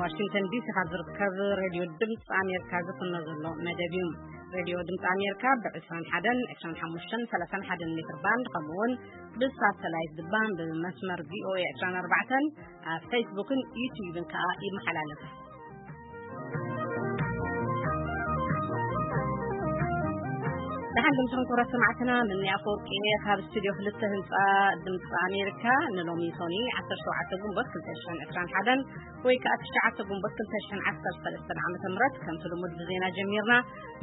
ዋሽንግተን ዲሲ ካብ ዝርከብ ሬድዮ ድምፂ ኣሜሪካ ዝፍኖ ዘሎ መደብ እዩ። ሬድዮ ድምፂ ኣሜሪካ ብ ዕስራን ሓደን፣ ዕስራን ሓሙሽተን፣ ሰላሳን ሓደን ሜትር ባንድ፣ ከምኡ እውን ብሳተላይት ድማ ብመስመር ቪ ኦ ኤ ዕስራን ኣርባዕተን ኣብ ፌስቡክን ዩቲዩብን ከዓ ይመሓላለፍ። ደሓን ድምፅኹም ክቡራት ሰማዕትና፣ ምንያ ኣፈወርቂ እየ ካብ ስቱድዮ ክልተ ህንፃ ድምፂ ኣሜሪካ። ንሎሚ ሶኒ ዓሰርተ ሸውዓተ ግንቦት ክልተ ሽሕን ዕስራን ሓደን ወይ ከዓ ትሽዓተ ግንቦት ክልተ ሽሕን ዓሰርተ ሰለስተን ዓመተ ምህረት ከምቲ ልሙድ ብዜና ጀሚርና።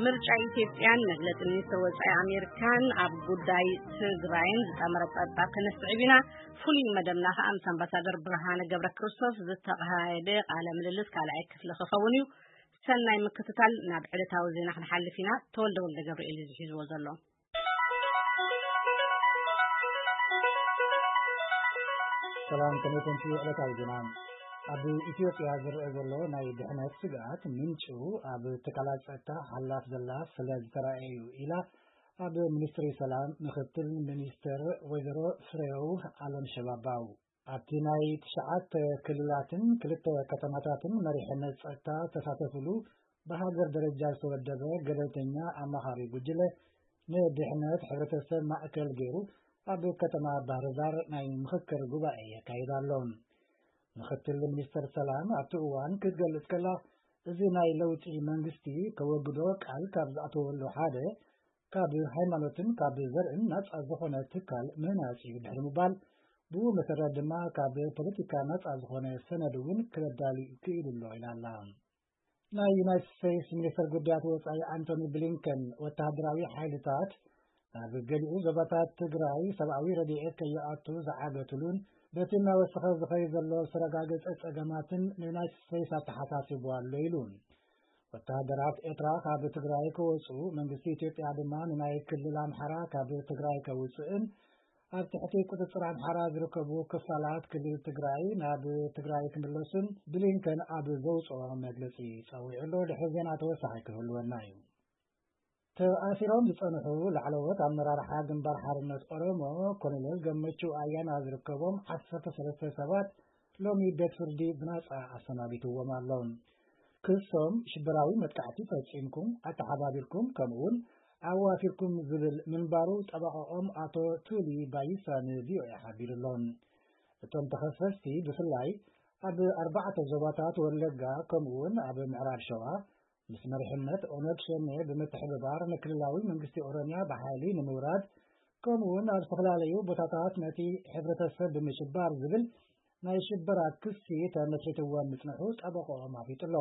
ምርጫ ኢትዮጵያን መግለፂ ሚኒስትር ወፃኢ ኣሜሪካን ኣብ ጉዳይ ትግራይን ዝጠመረ ፀብፃብ ክነስዕብ ኢና። ፍሉይ መደብና ከዓ ምስ ኣምባሳደር ብርሃነ ገብረ ክርስቶስ ዝተኻየደ ቃለ ምልልስ ካልኣይ ክፍሊ ክኸውን እዩ። ሰናይ ምክትታል። ናብ ዕለታዊ ዜና ክንሓልፍ ኢና። ተወልደ ወልደ ገብርኤል እዩ ዝሒዝዎ ዘሎ። ሰላም፣ ከመይ ኮንኩም? ዕለታዊ ዜና። ኣብ ኢትዮጵያ ዝረአ ዘሎ ናይ ድሕነት ስግኣት ምንጩ ኣብ ትካላት ጸጥታ ሓላፍ ዘላ ስለ ዝተረኣየ እዩ ኢላ ኣብ ሚኒስትሪ ሰላም ምክትል ሚኒስትር ወይዘሮ ፍሬው ኣለም ሸባባው። ኣብቲ ናይ ትሽዓተ ክልላትን ክልተ ከተማታትን መሪሕነት ጸጥታ ዝተሳተፍሉ ብሃገር ደረጃ ዝተወደበ ገለልተኛ ኣማኻሪ ጉጅለ ንድሕነት ሕብረተሰብ ማእከል ገይሩ ኣብ ከተማ ባህር ዳር ናይ ምኽክር ጉባኤ የካይድ ኣሎ። ምክትል ሚኒስትር ሰላም ኣብቲ እዋን ክትገልጽ ከላ፣ እዚ ናይ ለውጢ መንግስቲ ከወግዶ ቃል ካብ ዝኣተወሉ ሓደ ካብ ሃይማኖትን ካብ ዘርእን ናጻ ዝኾነ ትካል ምህናጽ እዩ ድሕሪ ምባል፣ ብኡ መሰረት ድማ ካብ ፖለቲካ ናጻ ዝኾነ ሰነድ እውን ክረዳሊ ክኢሉ ኣሎ ኢላ ኣላ። ናይ ዩናይትድ ስቴትስ ሚኒስትር ጉዳያት ወጻኢ ኣንቶኒ ብሊንከን፣ ወተሃደራዊ ሓይልታት ናብ ገሊኡ ዞባታት ትግራይ ሰብኣዊ ረድኤት ከይኣቱ ዝዓገቱሉን በቲ እናወሰኸ ዝኸይድ ዘሎ ዝተረጋገጸ ጸገማትን ንዩናይትድ ስቴትስ ኣተሓሳሲቡ ኣሎ ኢሉ። ወተሃደራት ኤርትራ ካብ ትግራይ ክወጹ፣ መንግስቲ ኢትዮጵያ ድማ ንናይ ክልል ኣምሓራ ካብ ትግራይ ከውጽእን ኣብ ትሕቲ ቁጽጽር ኣምሓራ ዝርከቡ ክፋላት ክልል ትግራይ ናብ ትግራይ ክምለሱን ብሊንከን ኣብ ዘውጽኦ መግለጺ ጸዊዑ ኣሎ። ድሕሪ ዜና ተወሳኺ ክህልወና እዩ። ተኣሲሮም ዝጸንሑ ላዕለዎት ኣመራርሓ ግንባር ሓርነት ኦሮሞ ኮሎኔል ገመቹ ኣያና ዝርከቦም ዓሰርተ ሰለስተ ሰባት ሎሚ ቤት ፍርዲ ብናጻ ኣሰናቢትዎም ኣሎ። ክሶም ሽበራዊ መጥቃዕቲ ፈጺምኩም፣ ኣተሓባቢርኩም፣ ከምኡውን ኣዋፊርኩም ዝብል ምንባሩ ጠበቓኦም ኣቶ ቱሊ ባይሳ ንቪኦኤ ሓቢሩ ኣሎ። እቶም ተኸሰስቲ ብፍላይ ኣብ ኣርባዕተ ዞባታት ወለጋ ከምኡውን ኣብ ምዕራብ ሸዋ ምስ መሪሕነት ኦነግ ሸኔ ብምትሕብባር ንክልላዊ መንግስቲ ኦሮሚያ ብሓይሊ ንምውራድ ከምኡውን ኣብ ዝተፈላለዩ ቦታታት ነቲ ሕብረተሰብ ብምሽባር ዝብል ናይ ሽበራ ክሲ ተመስሪትዎም ምጽንሑ ጠበቆኦም ኣፍሊጡ ኣሎ።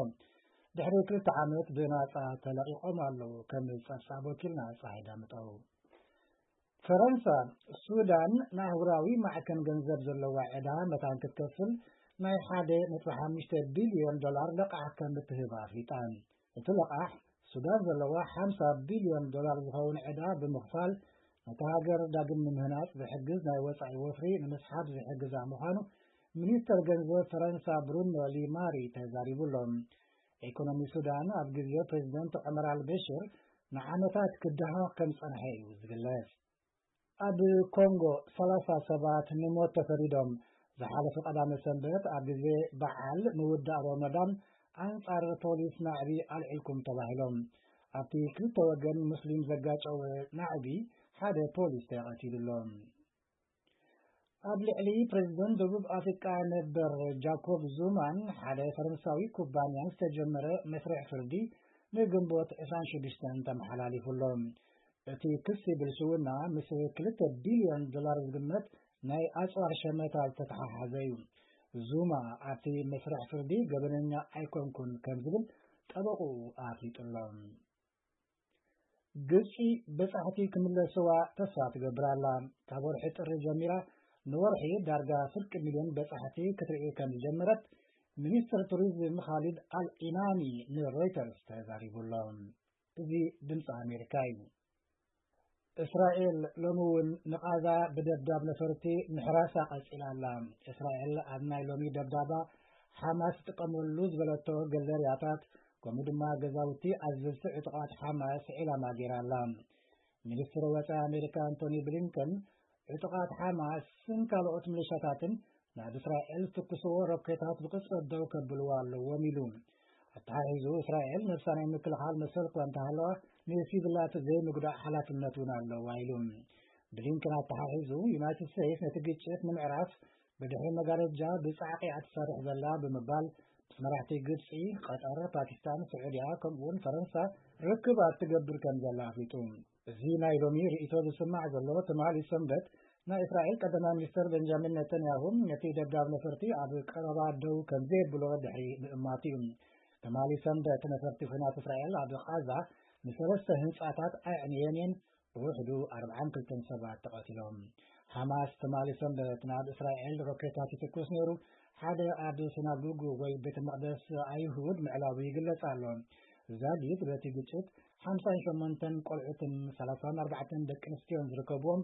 ድሕሪ ክልተ ዓመት ብናጻ ተለቒቖም ኣለዉ። ከም ጸብጻብ ወኪልና ጸሓይ ዳምጠው። ፈረንሳ፣ ሱዳን ንኣህጉራዊ ማዕከን ገንዘብ ዘለዋ ዕዳ መታን ክትከፍል ናይ ሓደ ነጥቢ ሓሙሽተ ቢልዮን ዶላር ለቓሕ ከም እትህብ ኣፍሊጣ። እቲ ለቓሕ ሱዳን ዘለዋ ሓምሳ ቢልዮን ዶላር ዝኸውን ዕዳ ብምኽፋል ነታ ሃገር ዳግም ንምህናጽ ዝሕግዝ ናይ ወጻኢ ወፍሪ ንምስሓብ ዝሕግዛ ምዃኑ ሚኒስተር ገንዘብ ፈረንሳ ብሩኖ ሊማሪ ተዛሪቡ ኣሎ። ኢኮኖሚ ሱዳን ኣብ ግዜ ፕሬዚደንት ዑመር ኣልበሽር ንዓመታት ክደሃኽ ከም ዝጸንሐ እዩ ዝግለጽ። ኣብ ኮንጎ ሰላሳ ሰባት ንሞት ተፈሪዶም። ዝሓለፈ ቀዳመ ሰንበት ኣብ ግዜ በዓል ምውዳእ ሮመዳን ኣንጻር ፖሊስ ናዕቢ ኣልዒልኩም ተባሂሎም። ኣብቲ ክልተ ወገን ሙስሊም ዘጋጨወ ናዕቢ ሓደ ፖሊስ ተቐቲሉ ኣሎ። ኣብ ልዕሊ ፕሬዚደንት ደቡብ ኣፍሪቃ ነበር ጃኮብ ዙማን ሓደ ፈረንሳዊ ኩባንያን ዝተጀመረ መስርሕ ፍርዲ ንግንቦት ዕስራን ሽዱሽተን ተመሓላሊፉ ኣሎ። እቲ ክሲ ብልሽውና ምስ ክልተ ቢልዮን ዶላር ዝግመት ናይ ኣጽዋር ሸመታ ዝተተሓሓዘ እዩ። ዙማ ኣብቲ መስርሕ ፍርዲ ገበነኛ ኣይኮንኩን ከም ዝብል ጠበቕኡ ኣፍሊጡ ኣሎ። ግብጺ በጻሕቲ ክምለስዋ ተስፋ ትገብር ኣላ። ካብ ወርሒ ጥሪ ጀሚራ ንወርሒ ዳርጋ ፍርቂ ሚልዮን በጻሕቲ ክትርኢ ከም ዝጀመረት ሚኒስትር ቱሪዝም ኻሊድ ኣል ኢናኒ ንሮይተርስ ተዛሪቡ ኣሎ። እዚ ድምፂ ኣሜሪካ እዩ። እስራኤል ሎሚ እውን ንቓዛ ብደብዳብ ነፈርቲ ምሕራሳ ቀጺላ ኣላ። እስራኤል ኣብ ናይ ሎሚ ደብዳባ ሓማስ ትጥቀመሉ ዝበለቶ ገለርያታት ከምኡ ድማ ገዛውቲ ኣዘዝቲ ዕጡቓት ሓማስ ዒላማ ገይራ ኣላ። ሚኒስትር ወጻኢ ኣሜሪካ ኣንቶኒ ብሊንከን ዕጡቓት ሓማስን ካልኦት ሚሊሻታትን ናብ እስራኤል ዝትኩስዎ ሮኬታት ብቕጽበት ደው ከብልዎ ኣለዎም ኢሉ። ኣተሓሒዙ፣ እስራኤል ነብሳ ናይ ምክልኻል መሰል እኳ እንተሃለዋ፣ ንሲቪላት ዘይምጉዳእ ሓላፍነት እውን ኣለዋ ኢሉ። ብሊንከን ኣተሓሒዙ፣ ዩናይትድ ስቴትስ ነቲ ግጭት ንምዕራፍ ብድሕሪ መጋረጃ ብጻዕቂ እያ ትሰርሕ ዘላ ብምባል፣ ምስ መራሕቲ ግብጺ፣ ቀጠር፣ ፓኪስታን፣ ስዑድያ ከምኡውን ፈረንሳ ርክባት ትገብር ከም ዘላ ኣፍሊጡ። እዚ ናይ ሎሚ ርእይቶ ዝስማዕ ዘሎ፣ ትማሊ ሰንበት ናይ እስራኤል ቀዳማይ ሚኒስተር ቤንጃሚን ነተንያሁ ነቲ ደብዳብ ነፈርቲ ኣብ ቀረባ ደው ከም ዘየብሎ ድሕሪ ምእማቱ እዩ። ትማሊ ሰንበት ነፈርቲ ኲናት እስራኤል ኣብ ቓዛ ንሰለስተ ህንጻታት ኣዕንየን እየን፣ ብውሕዱ ኣርብዓን ክልተን ሰባት ተቐቲሎም። ሓማስ ትማሊ ሰንበት ናብ እስራኤል ሮኬታት ይትኩስ ነይሩ። ሓደ ኣብ ሲናጎግ ወይ ቤተ መቕደስ ኣይሁድ ምዕላቡ ይግለጽ ኣሎ። ዛጊት በቲ ግጭት ሓምሳን ሸሞንተን ቆልዑትን ሰላሳን ኣርባዕተን ደቂ ኣንስትዮን ዝርከብዎም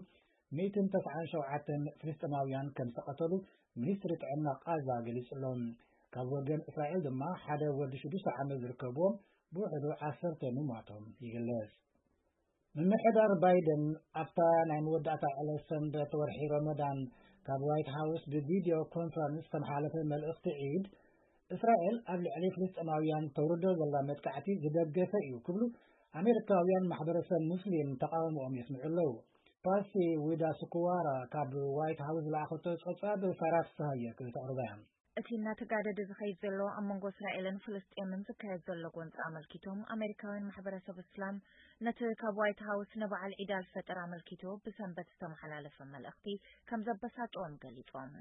ሚእትን ተስዓን ሸውዓተን ፍልስጤማውያን ከም ዝተቐተሉ ሚኒስትሪ ጥዕና ቓዛ ገሊጹ ኣሎ። ካብ ወገን እስራኤል ድማ ሓደ ወዲ ሽዱሽተ ዓመት ዝርከብዎም ብውሕዱ ዓሰርተ ምሟቶም ይግለጽ። ምምሕዳር ባይደን ኣብታ ናይ መወዳእታ ዕለት ሰንበት ወርሒ ረመዳን ካብ ዋይት ሃውስ ብቪድዮ ኮንፈረንስ ዝተመሓላለፈ መልእኽቲ ዒድ፣ እስራኤል ኣብ ልዕሊ ፍልስጤማውያን ተውርዶ ዘላ መጥቃዕቲ ዝደገፈ እዩ ክብሉ ኣሜሪካውያን ማሕበረሰብ ሙስሊም ተቃውሞኦም የስምዑ ኣለዉ። ፓሲ ዊዳ ስኩዋራ ካብ ዋይት ሃውስ ዝለኣኸቶ ጸብጻብ ሳራ ፍስሃየ ክተቕርባ እያ። እቲ እናተጋደደ ዝኸይድ ዘሎ ኣብ መንጎ እስራኤልን ፍልስጤምን ዝካየድ ዘሎ ጎንፂ ኣመልኪቶም ኣሜሪካውያን ማሕበረሰብ እስላም ነቲ ካብ ዋይት ሃውስ ንበዓል ዒድ ኣልፈጥር ኣመልኪቱ ብሰንበት ዝተመሓላለፈ መልእኽቲ ከም ዘበሳጨዎም ገሊጾም።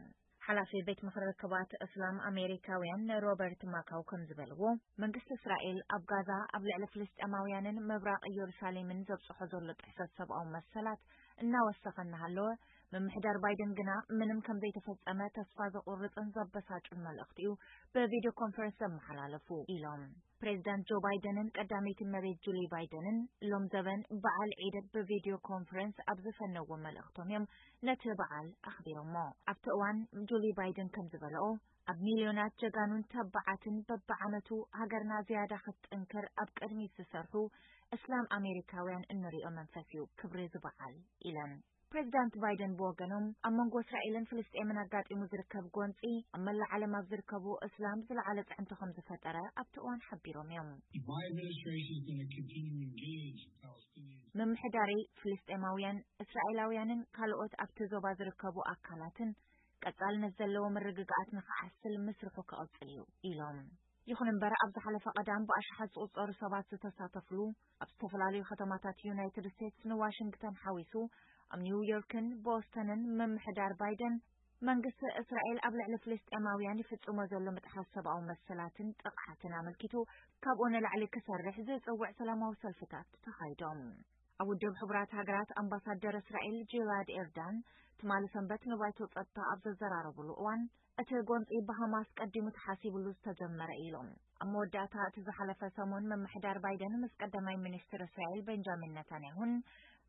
ሓላፊ ቤት ምኽሪ ርክባት እስላም ኣሜሪካውያን ሮበርት ማካው ከም ዝበልዎ፣ መንግስቲ እስራኤል ኣብ ጋዛ ኣብ ልዕሊ ፍልስጤማውያንን ምብራቕ ኢየሩሳሌምን ዘብጽሖ ዘሎ ጥሕሰት ሰብኣዊ መሰላት እናወሰኸ እናሃለወ፣ ምምሕዳር ባይደን ግና ምንም ከም ዘይተፈጸመ ተስፋ ዘቑርጽን ዘበሳጩን መልእኽቲ እዩ ብቪድዮ ኮንፈረንስ ዘመሓላለፉ ኢሎም። ፕሬዚዳንት ጆ ባይደንን ቀዳመይቲ እመቤት ጁሊ ባይደንን ሎም ዘበን በዓል ዒድ ብቪድዮ ኮንፈረንስ ኣብ ዝፈነዎ መልእኽቶም እዮም ነቲ በዓል ኣኽቢሮሞ። ኣብቲ እዋን ጁሊ ባይደን ከም ዝበለኦ፣ ኣብ ሚልዮናት ጀጋኑን ተባዓትን በብዓመቱ ሃገርና ዝያዳ ክትጥንክር ኣብ ቅድሚት ዝሰርሑ እስላም ኣሜሪካውያን እንሪኦ መንፈስ እዩ ክብሪ እዚ በዓል ኢለን። ፕሬዚዳንት ባይደን ብወገኖም ኣብ መንጎ እስራኤልን ፍልስጤምን ኣጋጢሙ ዝርከብ ጎንፂ ኣብ መላእ ዓለም ኣብ ዝርከቡ እስላም ዝለዓለ ፅዕንቶ ከም ዝፈጠረ ኣብቲ እዋን ሓቢሮም እዮም። My administration is going to continue to engage Palestinians. ምምሕዳረይ ፍልስጤማውያን፣ እስራኤላውያንን ካልኦት ኣብቲ ዞባ ዝርከቡ ኣካላትን ቀጻልነት ዘለዎ ምርግጋኣት ንኽዓስል ምስርሑ ክቕጽል እዩ ኢሎም። ይኹን እምበር ኣብ ዝሓለፈ ቀዳም ብኣሽሓት ዝቑጸሩ ሰባት ዝተሳተፍሉ ኣብ ዝተፈላለዩ ከተማታት ዩናይትድ ስቴትስ ንዋሽንግተን ሓዊሱ ኣብ ኒውዮርክን ቦስተንን ምምሕዳር ባይደን መንግስቲ እስራኤል ኣብ ልዕሊ ፍልስጤማውያን ይፍጽሞ ዘሎ ምጥሓስ ሰብኣዊ መሰላትን ጥቕዓትን ኣመልኪቱ ካብኡ ንላዕሊ ክሰርሕ ዝጽውዕ ሰላማዊ ሰልፍታት ተኻይዶም። ኣብ ውድብ ሕቡራት ሃገራት ኣምባሳደር እስራኤል ጂላድ ኤርዳን ትማሊ ሰንበት ንባይቶ ጸጥታ ኣብ ዘዘራረብሉ እዋን፣ እቲ ጎንጺ ብሃማስ ቀዲሙ ተሓሲብሉ ዝተጀመረ ኢሎም። ኣብ መወዳእታ እቲ ዝሓለፈ ሰሙን ምምሕዳር ባይደን ምስ ቀዳማይ ሚኒስትር እስራኤል ቤንጃሚን ነታንያሁን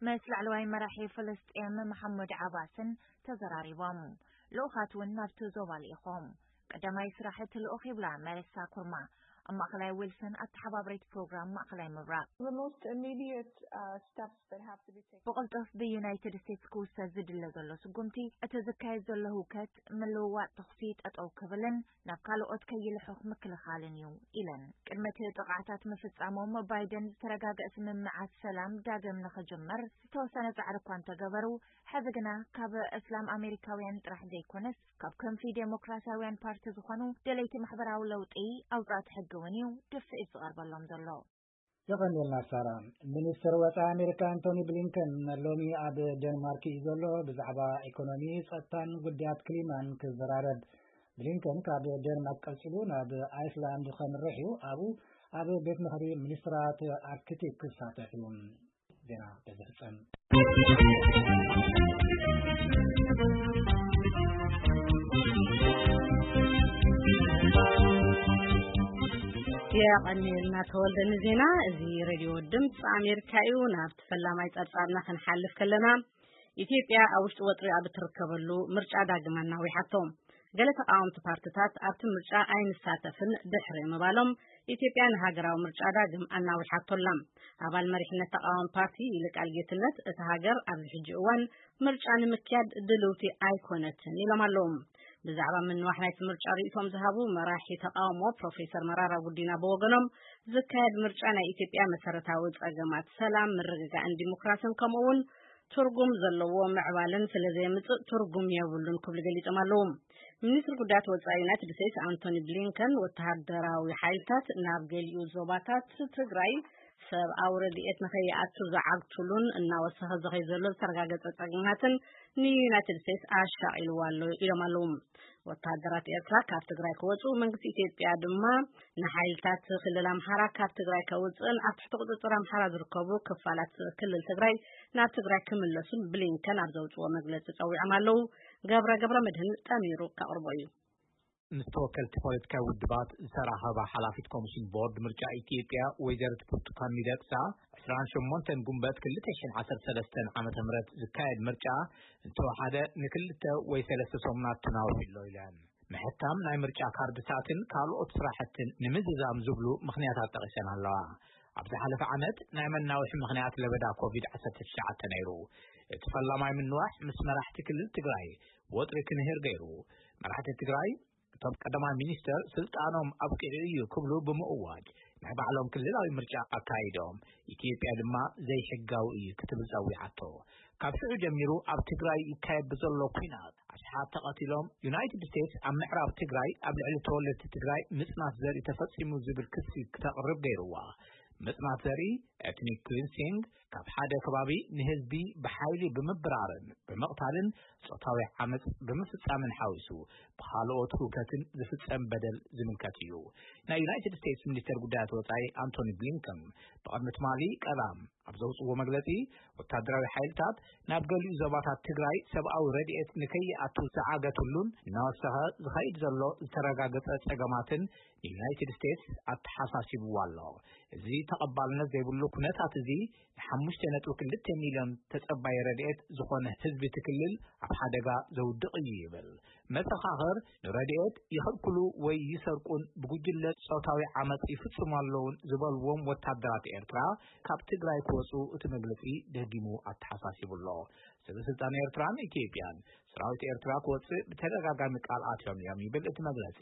ምስ ላዕለዋይ መራሒ ፍልስጤም መሓሙድ ዓባስን ተዘራሪቦም። ልኡኻት እውን ናብቲ ዞባ ልኢኾም። ቀዳማይ ስራሕ እቲ ልኡኽ ይብላ መለሳ ኩርማ፣ ኣብ ማእኸላይ ዊልሰን ኣተሓባብሪት ፕሮግራም ማእኸላይ ምብራቕ። The most immediate uh, steps that have to be taken. ብቕልጡፍ ብዩናይትድ ስቴትስ ክውሰድ ዝድለ ዘሎ ስጉምቲ፣ እቲ ዝካየድ ዘሎ ህውከት ምልውዋጥ ተኹሲ ጠጠው ክብልን ናብ ካልኦት ከይልሑኽ ምክልኻልን እዩ ኢለን። ቅድሚ እቲ ጥቕዓታት ምፍጻሞም ባይደን ዝተረጋገአ ስምምዓት ሰላም ዳግም ንኽጅመር ዝተወሰነ ጻዕሪ እኳ እንተገበሩ፣ ሕዚ ግና ካብ እስላም ኣሜሪካውያን ጥራሕ ዘይኮነስ ካብ ክንፊ ዴሞክራሲያውያን ፓርቲ ዝኾኑ ደለይቲ ማሕበራዊ ለውጢ ኣውጻእቲ ሕጊ እውን እዩ ድፍኢት ዝቐርበሎም ዘሎ። የቐንየልና ሳራ። ሚኒስትር ወፃኢ ኣሜሪካ ኣንቶኒ ብሊንከን ሎሚ ኣብ ዴንማርክ እዩ ዘሎ። ብዛዕባ ኢኮኖሚ፣ ጸጥታን ጉዳያት ክሊማን ክዘራረብ። ብሊንከን ካብ ዴንማርክ ቀጺሉ ናብ ኣይስላንድ ከምርሕ እዩ። ኣብኡ ኣብ ቤት ምኽሪ ሚኒስትራት ኣርክቲክ ክሳተፍ እዩ። ዜና በዚ ፍጸም። የቐንየልና ተወልደ ንዜና። እዚ ሬድዮ ድምፂ ኣሜሪካ እዩ። ናብቲ ፈላማይ ጸብጻብና ክንሓልፍ ከለና፣ ኢትዮጵያ ኣብ ውሽጢ ወጥሪ ኣብ እትርከበሉ ምርጫ ዳግም ኣናዊሓቶ። ገለ ተቃወምቲ ፓርትታት ኣብቲ ምርጫ ኣይንሳተፍን ድሕሪ ምባሎም፣ ኢትዮጵያ ንሃገራዊ ምርጫ ዳግም ኣናዊሓቶ ኣላ። ኣባል መሪሕነት ተቃዋሚ ፓርቲ ይልቃል ጌትነት፣ እታ ሃገር ኣብዚ ሕጂ እዋን ምርጫ ንምክያድ ድልውቲ ኣይኮነትን ኢሎም ኣለዉ። ብዛዕባ ምንዋሕ ናይቲ ምርጫ ርእይቶም ዝሃቡ መራሒ ተቓውሞ ፕሮፌሰር መራራ ጉዲና ብወገኖም፣ ዝካየድ ምርጫ ናይ ኢትዮጵያ መሰረታዊ ጸገማት ሰላም፣ ምርግጋእን ዲሞክራስን ከምኡ እውን ትርጉም ዘለዎ ምዕባለን ስለ ዘየምጽእ ትርጉም የብሉን ክብሉ ገሊጾም ኣለዉ። ሚኒስትሪ ጉዳያት ወጻኢ ዩናይትድ ስቴትስ ኣንቶኒ ብሊንከን ወተሃደራዊ ሓይልታት ናብ ገሊኡ ዞባታት ትግራይ ሰብኣዊ ረድኤት ንኸይኣቱ ዝዓግትሉን እናወሰኸ ዝኸይ ዘሎ ዝተረጋገጸ ጸገማትን ንዩናይትድ ስቴትስ ኣሻቒልዋ ኣሎ ኢሎም ኣለዉ። ወተሃደራት ኤርትራ ካብ ትግራይ ክወፁ፣ መንግስቲ ኢትዮጵያ ድማ ንሓይልታት ክልል ኣምሓራ ካብ ትግራይ ከውፅእን ኣብ ትሕቲ ቁፅፅር ኣምሓራ ዝርከቡ ክፋላት ክልል ትግራይ ናብ ትግራይ ክምለሱን ብሊንከን ኣብ ዘውፅዎ መግለፂ ፀዊዖም ኣለዉ። ገብረ ገብረ መድህን ጠሚሩ ከቕርቦ እዩ። ምስ ተወከልቲ ፖለቲካዊ ውድባት ዝተራኸባ ሓላፊት ኮሚሽን ቦርድ ምርጫ ኢትዮጵያ ወይዘሪት ብርቱካን ሚደቅሳ፣ ዕስራን ሸሞንተን ጉንበት ክልተ ሽሕን ዓሰርተ ሰለስተን ዓመተ ምህረት ዝካየድ ምርጫ እንተወሓደ ንክልተ ወይ ሰለስተ ሰሙናት ተናዊሑ ኣሎ ኢለን። ምሕታም ናይ ምርጫ ካርድታትን ካልኦት ስራሕትን ንምዝዛም ዝብሉ ምኽንያታት ጠቒሰን ኣለዋ። ኣብ ዝሓለፈ ዓመት ናይ መናውሒ ምኽንያት ለበዳ ኮቪድ ዓሰርተ ትሽዓተ ነይሩ። እቲ ፈላማይ ምንዋሕ ምስ መራሕቲ ክልል ትግራይ ወጥሪ ክንህር ገይሩ። መራሕቲ ትግራይ እቶም ቀዳማይ ሚኒስተር ስልጣኖም ኣብቂዑ እዩ ክብሉ ብምእዋጅ ናይ ባዕሎም ክልላዊ ምርጫ ኣካይዶም፣ ኢትዮጵያ ድማ ዘይሕጋዊ እዩ ክትብል ጸዊዓቶ። ካብ ሽዑ ጀሚሩ ኣብ ትግራይ ይካየድ ብዘሎ ኲናት ኣሽሓት ተቐቲሎም፣ ዩናይትድ ስቴትስ ኣብ ምዕራብ ትግራይ ኣብ ልዕሊ ተወለድቲ ትግራይ ምጽናት ዘርኢ ተፈጺሙ ዝብል ክሲ ክተቕርብ ገይርዋ። ምጽናት ዘርኢ፣ ኤትኒክ ክሊንሲንግ፣ ካብ ሓደ ከባቢ ንህዝቢ ብሓይሊ ብምብራርን ብምቕታልን ጾታዊ ዓመጽ ብምፍጻምን ሓዊሱ ብኻልኦት ህውከትን ዝፍጸም በደል ዝምልከት እዩ። ናይ ዩናይትድ ስቴትስ ሚኒስተር ጉዳያት ወጻኢ ኣንቶኒ ብሊንከን ብቕድሚ ትማሊ ቀዳም ኣብ ዘውጽዎ መግለጺ፣ ወታደራዊ ሓይልታት ናብ ገሊኡ ዞባታት ትግራይ ሰብኣዊ ረድኤት ንከይኣቱ ዝዓገትሉን እናወሰኸ ዝኸይድ ዘሎ ዝተረጋገጸ ጸገማትን ንዩናይትድ ስቴትስ ኣተሓሳሲብዋ ኣሎ። እዚ ተቐባልነት ዘይብሉ ኩነታት እዚ ንሓሙሽተ ነጥቢ ክልተ ሚልዮን ተጸባይ ረድኤት ዝኾነ ህዝቢ እቲ ክልል ኣብ ሓደጋ ዘውድቕ እዩ ይብል። መሰኻኽር ንረድኤት ይኸልክሉ ወይ ይሰርቁን ብጉጅለ ጾታዊ ዓመጽ ይፍጽሙ ኣለውን ዝበልዎም ወታደራት ኤርትራ ካብ ትግራይ ክወጹ እቲ መግለጺ ደጊሙ ኣተሓሳሲቡ ኣሎ። ሰበ ስልጣን ኤርትራን ኢትዮጵያን ሰራዊት ኤርትራ ክወጽእ ብተደጋጋሚ ቃል ኣትዮም እዮም ይብል እቲ መግለጺ።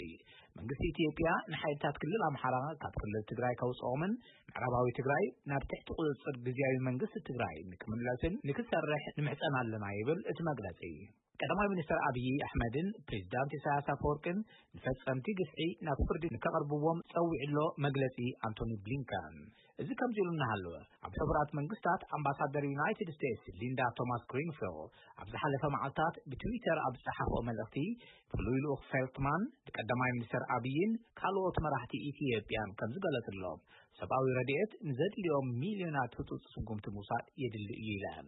መንግስቲ ኢትዮጵያ ንሓይልታት ክልል ኣምሓራ ካብ ክልል ትግራይ ከውጽኦምን ምዕራባዊ ትግራይ ናብ ትሕቲ ቁጽጽር ግዝያዊ መንግስቲ ትግራይ ንክምለስን ንክሰርሕ ንምሕጸን ኣለና ይብል እቲ መግለጺ። ቀዳማይ ሚኒስትር ኣብይ ኣሕመድን ፕሬዚዳንት ኢሳያስ ኣፈወርቅን ንፈጸምቲ ግፍዒ ናብ ፍርዲ ንከቕርብዎም ጸዊዑ ኣሎ መግለጺ ኣንቶኒ ብሊንከን። እዚ ከምዚ ኢሉ እናሃለወ፣ ኣብ ሕቡራት መንግስታት ኣምባሳደር ዩናይትድ ስቴትስ ሊንዳ ቶማስ ግሪንፊልድ ኣብ ዝሓለፈ መዓልታት ብትዊተር ኣብ ዝጸሓፍኦ መልእኽቲ፣ ፍሉይ ልኡኽ ፌልትማን ንቀዳማይ ሚኒስተር ኣብይን ካልኦት መራሕቲ ኢትዮጵያን ከም ዝገለጽሎም፣ ሰብኣዊ ረድኤት ንዘድልዮም ሚልዮናት ህጹጽ ስጉምቲ ምውሳድ የድሊ እዩ ኢለን።